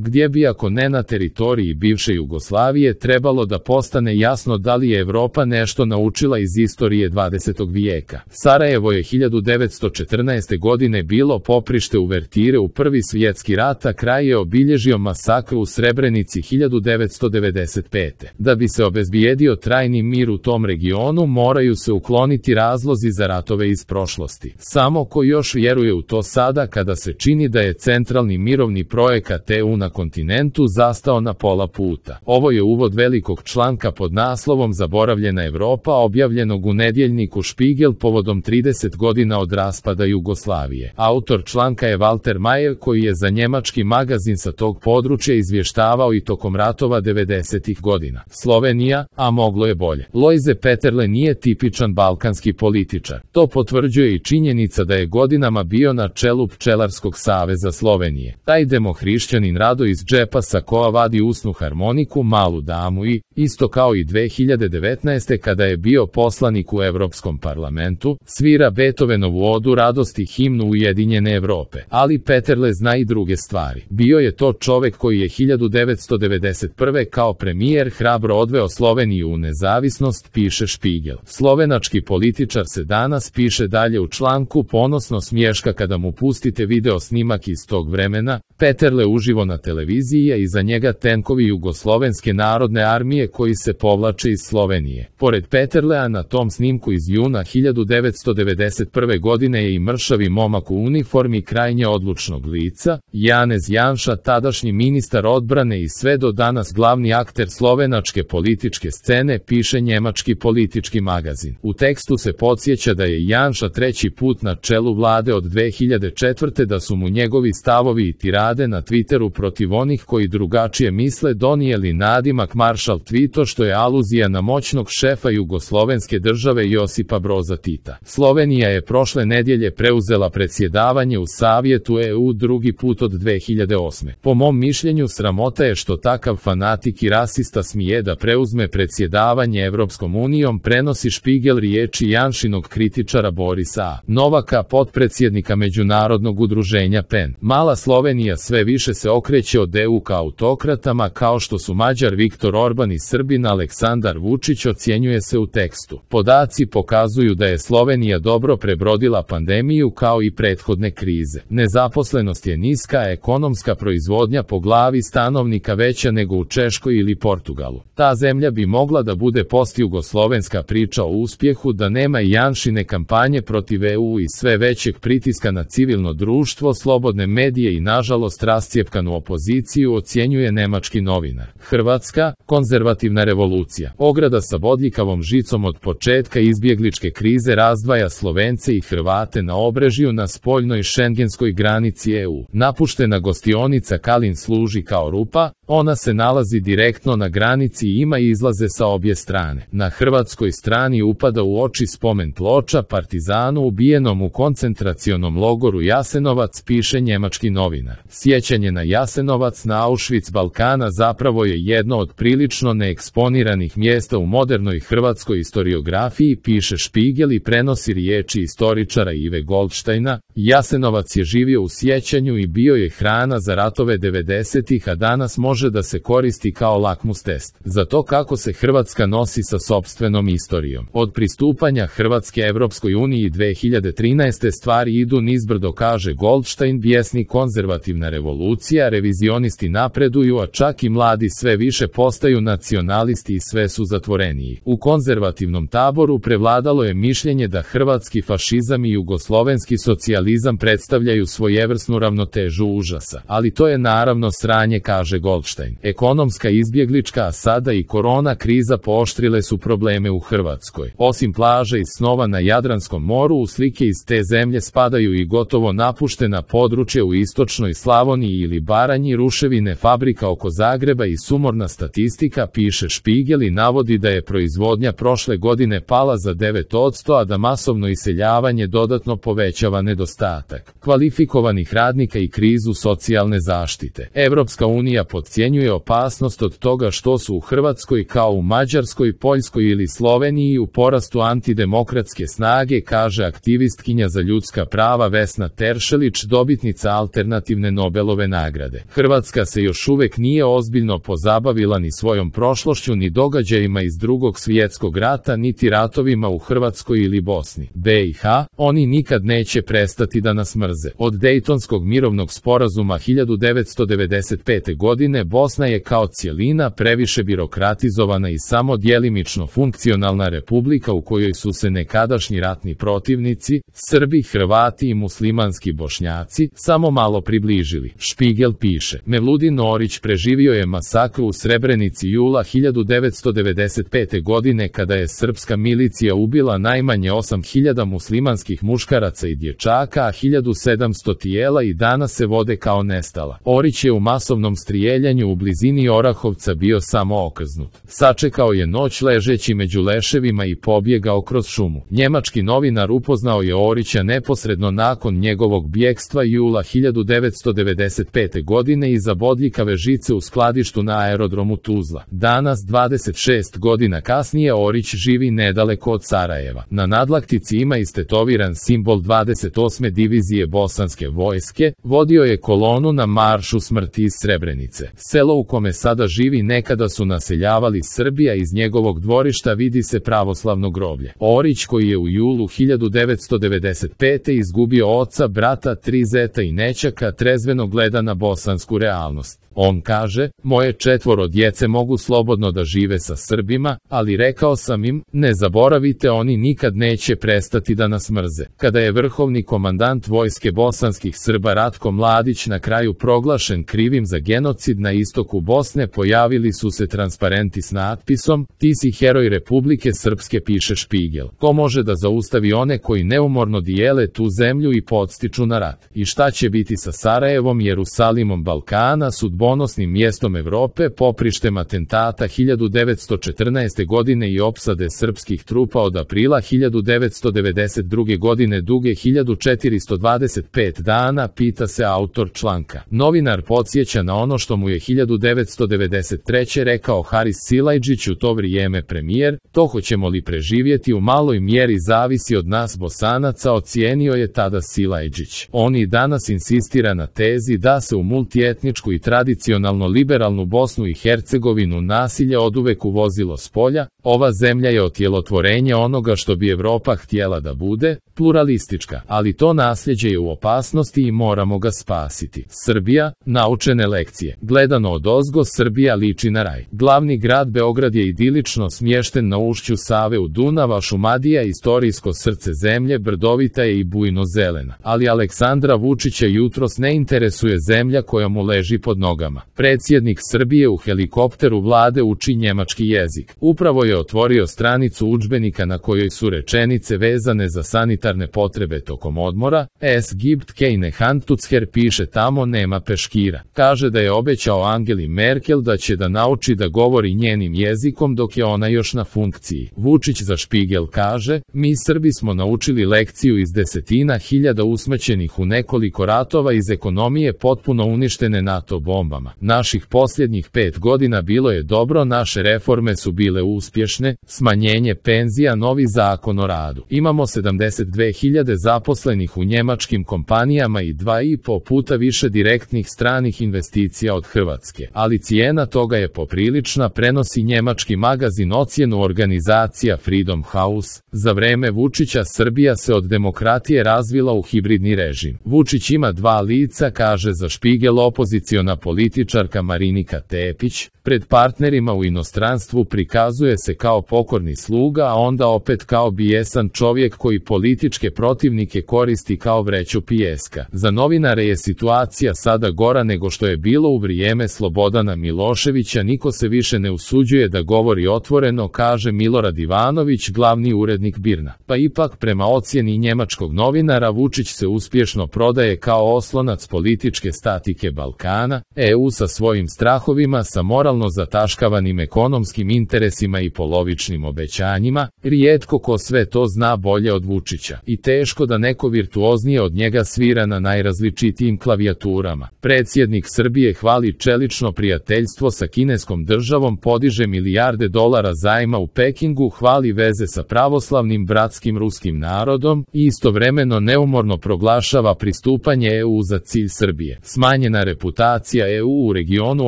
gdje bi ako ne na teritoriji bivše Jugoslavije trebalo da postane jasno da li je Evropa nešto naučila iz istorije 20. vijeka. Sarajevo je 1914. godine bilo poprište uvertire u Prvi svjetski rat, a kraj je obilježio masakr u Srebrenici 1995. Da bi se obezbijedio trajni mir u tom regionu, moraju se ukloniti razlozi za ratove iz prošlosti. Samo ko još vjeruje u to sada kada se čini da je centralni mirovni projekat EU na kontinentu zastao na pola puta. Ovo je uvod velikog članka pod naslovom Zaboravljena Evropa, objavljenog u nedjeljniku Špigel povodom 30 godina od raspada Jugoslavije. Autor članka je Walter Mayer, koji je za njemački magazin sa tog područja izvještavao i tokom ratova 90. godina. Slovenija, a moglo je bolje. Lojze Peterle nije tipičan balkanski političar. To potvrđuje i činjenica da je godinama bio na čelu Pčelarskog saveza Slovenije. Taj demohrišćanin rado iz džepa sakoa vadi usnu harmoniku, malu damu i, isto kao i 2019. kada je bio poslanik u Evropskom parlamentu, svira Beethovenovu odu radosti, himnu Ujedinjene Evrope. Ali Peterle zna i druge stvari. Bio je to čovek koji je 1991. kao premijer hrabro odveo Sloveniju u nezavisnost, piše Špigel. Slovenački političar se danas, piše dalje u članku, ponosno smješka kada mu pustite video snimak iz tog vremena. Peterle uživo na televiziji, a iza njega tenkovi Jugoslovenske narodne armije koji se povlače iz Slovenije. Pored Peterlea na tom snimku iz juna 1991. godine je i mršavi momak u uniformi krajnje odlučnog lica, Janez Janša, tadašnji ministar odbrane i sve do danas glavni akter slovenačke političke scene, piše njemački politički magazin. U tekstu se podsjeća da je Janša treći put na čelu vlade od 2004. da su mu njegovi stavovi i tirade na Twitteru protiv onih koji drugačije misle donijeli nadimak Maršal Tvito, što je aluzija na moćnog šefa jugoslovenske države Josipa Broza Tita. Slovenija je prošle nedjelje preuzela predsjedavanje u Savjetu EU drugi put od 2008. Po mom mišljenju sramota je što takav fanatik i rasista smije da preuzme predsjedavanje Evropskom unijom, prenosi Špigel riječi Janšinog kritičara Borisa Novaka, potpredsjednika Međunarodnog udruženja PEN. Mala Slovenija sve više se okreće od EU ka autokratama kao što su Mađar Viktor Orban i Srbin Aleksandar Vučić, ocjenjuje se u tekstu. Podaci pokazuju da je Slovenija dobro prebrodila pandemiju kao i prethodne krize. Nezaposlenost je niska, a ekonomska proizvodnja po glavi stanovnika veća nego u Češkoj ili Portugalu. Ta zemlja bi mogla da bude postjugoslovenska priča o uspjehu da nema i Janšine kampanje protiv EU i sve većeg pritiska na civilno društvo, slobodne medije i nažalost rascijepkanu opoziciju, ocjenjuje nemački novinar. Hrvatska, konzervativna revolucija. Ograda sa bodljikavom žicom od početka izbjegličke krize razdvaja Slovence i Hrvate na Obrežju na spoljnoj šengenskoj granici EU. Napuštena gostionica Kalin služi kao rupa, ona se nalazi direktno na granici i ima izlaze sa obje strane. Na hrvatskoj strani upada u oči spomen ploča partizanu ubijenom u koncentracionom logoru Jasenovac, piše njemački novinar. Sjećanje na Jasenovac, na Auschwitz Balkana zapravo je jedno od prilično neeksponiranih mjesta u modernoj hrvatskoj historiografiji, piše Špigel i prenosi riječi istoričara Ive Goldsteina. Jasenovac je živio u sjećanju i bio je hrana za ratove 90-ih, a danas može da se koristi kao lakmus test za to kako se Hrvatska nosi sa sopstvenom istorijom. Od pristupanja Hrvatske Evropskoj uniji 2013. stvari idu nizbrdo, kaže Goldstein, bijesni konzervativna revolucija, revizionisti napreduju, a čak i mladi sve više postaju nacionalisti i sve su zatvoreniji. U konzervativnom taboru prevladalo je mišljenje da hrvatski fašizam i jugoslovenski socijalizam predstavljaju svojevrsnu ravnotežu užasa. Ali to je naravno sranje, kaže Goldstein. Ekonomska, izbjeglička, a sada i korona kriza pooštrile su probleme u Hrvatskoj. Osim plaže i snova na Jadranskom moru, u slike iz te zemlje spadaju i gotovo napuštena područja u istočnoj Slavoniji ili Baranji, ruševine fabrika oko Zagreba i sumorna statistika, piše Špigel i navodi da je proizvodnja prošle godine pala za 9%, a da masovno iseljavanje dodatno povećava nedostatak kvalifikovanih radnika i krizu socijalne zaštite. Evropska unija pod podcjenjuje opasnost od toga što su u Hrvatskoj kao u Mađarskoj, Poljskoj ili Sloveniji u porastu antidemokratske snage, kaže aktivistkinja za ljudska prava Vesna Teršelić, dobitnica alternativne Nobelove nagrade. Hrvatska se još uvek nije ozbiljno pozabavila ni svojom prošlošću, ni događajima iz Drugog svjetskog rata, niti ratovima u Hrvatskoj ili Bosni. BiH, oni nikad neće prestati da nas mrze. Od Dejtonskog mirovnog sporazuma 1995. godine Bosna je kao cijelina previše birokratizovana i samo djelimično funkcionalna republika u kojoj su se nekadašnji ratni protivnici, Srbi, Hrvati i muslimanski Bošnjaci, samo malo približili. Špigel piše, Mevludin Orić preživio je masakru u Srebrenici jula 1995. godine kada je srpska milicija ubila najmanje 8.000 muslimanskih muškaraca i dječaka, a 1.700 tijela i danas se vode kao nestala. Orić je u masovnom strijeljanju u blizini Orahovca bio samo okrznut. Sačekao je noć ležeći među leševima i pobjegao kroz šumu. Njemački novinar upoznao je Orića neposredno nakon njegovog bjekstva jula 1995. godine iza bodljikave žice u skladištu na aerodromu Tuzla. Danas, 26 godina kasnije, Orić živi nedaleko od Sarajeva. Na nadlaktici ima istetoviran simbol 28. divizije bosanske vojske, vodio je kolonu na maršu smrti iz Srebrenice. Selo u kome sada živi nekada su naseljavali Srbija, iz njegovog dvorišta vidi se pravoslavno groblje. Orić, koji je u julu 1995. izgubio oca, brata, 3 zeta i nećaka, trezveno gleda na bosansku realnost. On kaže, moje 4 djece mogu slobodno da žive sa Srbima, ali rekao sam im, ne zaboravite, oni nikad neće prestati da nas mrze. Kada je vrhovni komandant vojske bosanskih Srba Ratko Mladić na kraju proglašen krivim za genocid na istoku Bosne, pojavili su se transparenti s natpisom, ti si heroj Republike Srpske, piše Špigel. Ko može da zaustavi one koji neumorno dijele tu zemlju i podstiču na rat? I šta će biti sa Sarajevom, Jerusalimom Balkana, sudbonosnim mjestom Evrope, poprištem atentata 1914. godine i opsade srpskih trupa od aprila 1992. godine duge 1425 dana, pita se autor članka. Novinar podsjeća na ono što mu je 1993. rekao Haris Silajdžić, u to vrijeme premijer, to hoćemo li preživjeti u maloj mjeri zavisi od nas Bosanaca, ocijenio je tada Silajdžić. On i danas insistira na tezi da se u multietničku i tradicionalno liberalnu Bosnu i Hercegovinu nasilje oduvek uvozilo s polja. Ova zemlja je otjelotvorenje onoga što bi Evropa htjela da bude, pluralistička, ali to nasljeđe je u opasnosti i moramo ga spasiti. Srbija, naučene lekcije. Gledano odozgo, Srbija liči na raj. Glavni grad Beograd je idilično smješten na ušću Save u Dunav, a Šumadija, istorijsko srce zemlje, brdovita je i bujno zelena. Ali Aleksandra Vučića jutros ne interesuje zemlja koja mu leži pod nogama. Predsjednik Srbije u helikopteru vlade uči njemački jezik. Upravo je otvorio stranicu udžbenika na kojoj su rečenice vezane za sanitarne potrebe tokom odmora. Es gibt keine Handtucher, piše tamo, nema peškira. Kaže da je obećao Angeli Merkel da će da nauči da govori njenim jezikom dok je ona još na funkciji. Vučić za Špigel kaže, mi Srbi smo naučili lekciju iz desetina hiljada usmrćenih u nekoliko ratova, iz ekonomije potpuno uništene NATO bombama. Naših posljednjih 5 godina bilo je dobro, naše reforme su bile uspješne, smanjenje penzija, novi zakon o radu. Imamo 72.000 zaposlenih u njemačkim kompanijama i 2,5 puta više direktnih stranih investicija od Hrvatske. Ali cijena toga je poprilična, prenosi njemački magazin ocjenu organizacija Freedom House. Za vreme Vučića Srbija se od demokratije razvila u hibridni režim. Vučić ima 2 lica, kaže za Špigel opoziciona političarka Marinika Tepić. Pred partnerima u inostranstvu prikazuje se kao pokorni sluga, a onda opet kao bijesan čovjek koji političke protivnike koristi kao vreću pijeska. Za novinare je situacija sada gora nego što je bilo u vrijeme Slobodana Miloševića, niko se više ne usuđuje da govori otvoreno, kaže Milorad Ivanović, glavni urednik BIRN-a. Pa ipak, prema ocjeni njemačkog novinara, Vučić se uspješno prodaje kao oslonac političke statike Balkana. EU sa svojim strahovima, sa moralno zataškavanim ekonomskim interesima i polovičnim obećanjima, rijetko ko sve to zna bolje od Vučića. I teško da neko virtuoznije od njega svira na najrazličitijim klavijaturama. Predsjednik Srbije hvali čelično prijateljstvo sa kineskom državom, podiže milijarde dolara zajma u Pekingu, hvali veze sa pravoslavnim bratskim ruskim narodom i istovremeno neumorno proglašava pristupanje EU za cilj Srbije. Smanjena reputacija EU u regionu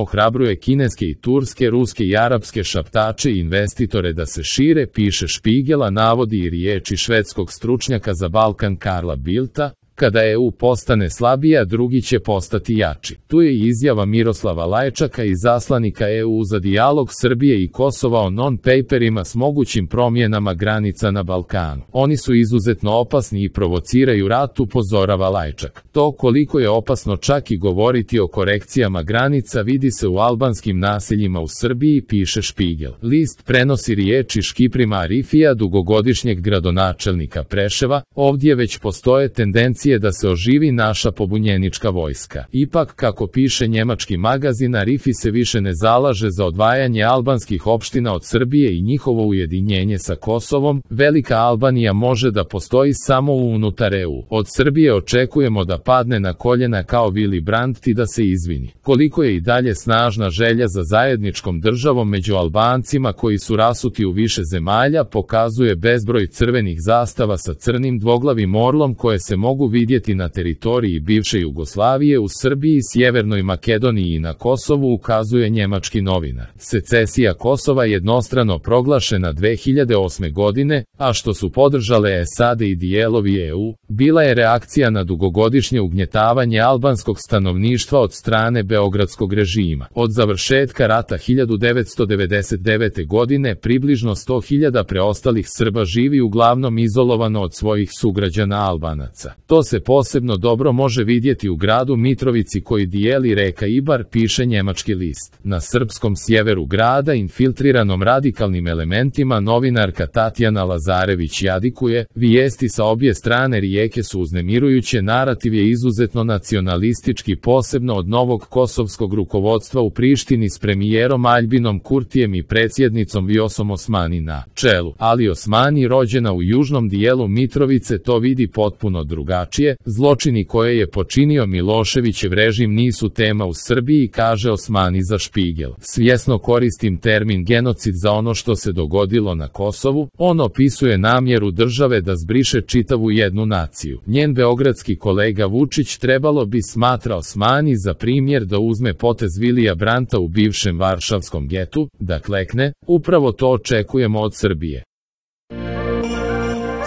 ohrabruje kineske i turske, ruske i arapske šaptače i investitore da se šire, piše Špigela, navodi i riječi švedskog stručnjaka za Balkan Karla Bildta: kada EU postane slabija, drugi će postati jači. Tu je i izjava Miroslava Lajčaka, izaslanika EU za dijalog Srbije i Kosova o non-paperima s mogućim promjenama granica na Balkanu. Oni su izuzetno opasni i provociraju rat, upozorava Lajčak. To koliko je opasno čak i govoriti o korekcijama granica vidi se u albanskim naseljima u Srbiji, piše Špigel. List prenosi riječi Škiprima Arifija, dugogodišnjeg gradonačelnika Preševa: ovdje već postoje tendencije da se oživi naša pobunjenička vojska. Ipak, kako piše njemački magazin, Arifi se više ne zalaže za odvajanje albanskih opština od Srbije i njihovo ujedinjenje sa Kosovom. Velika Albanija može da postoji samo unutar EU. Od Srbije očekujemo da padne na koljena kao Willy Brandt i da se izvini. Koliko je i dalje snažna želja za zajedničkom državom među Albancima koji su rasuti u više zemalja, pokazuje bezbroj crvenih zastava sa crnim dvoglavim orlom koje se mogu vidjeti na teritoriji bivše Jugoslavije, u Srbiji, Sjevernoj Makedoniji i na Kosovu, ukazuje njemački novinar. Secesija Kosova jednostrano proglašena 2008. godine, a što su podržale SAD i dijelovi EU, bila je reakcija na dugogodišnje ugnjetavanje albanskog stanovništva od strane beogradskog režima. Od završetka rata 1999. godine približno 100.000 preostalih Srba živi uglavnom izolovano od svojih sugrađana Albanaca. To se posebno dobro može vidjeti u gradu Mitrovici koji dijeli reka Ibar, piše njemački list. Na srpskom sjeveru grada, infiltriranom radikalnim elementima, novinarka Tatjana Lazarević jadikuje: vijesti sa obje strane rijeke su uznemirujuće, narativ je izuzetno nacionalistički, posebno od novog kosovskog rukovodstva u Prištini s premijerom Aljbinom Kurtijem i predsjednicom Vjosom Osmani na čelu. Ali Osmani, rođena u južnom dijelu Mitrovice, to vidi potpuno drugačije. Zločini koje je počinio Miloševićev režim nisu tema u Srbiji, kaže Osmani za Špigel. Svjesno koristim termin genocid za ono što se dogodilo na Kosovu. On opisuje namjeru države da zbriše čitavu jednu naciju. Njen beogradski kolega Vučić trebalo bi, smatra Osmani, za primjer da uzme potez Vilija Branta u bivšem varšavskom getu, da klekne. Upravo to očekujemo od Srbije.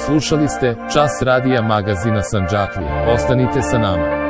Slušali ste Čas radija magazina Sandžaklije. Ostanite sa nama.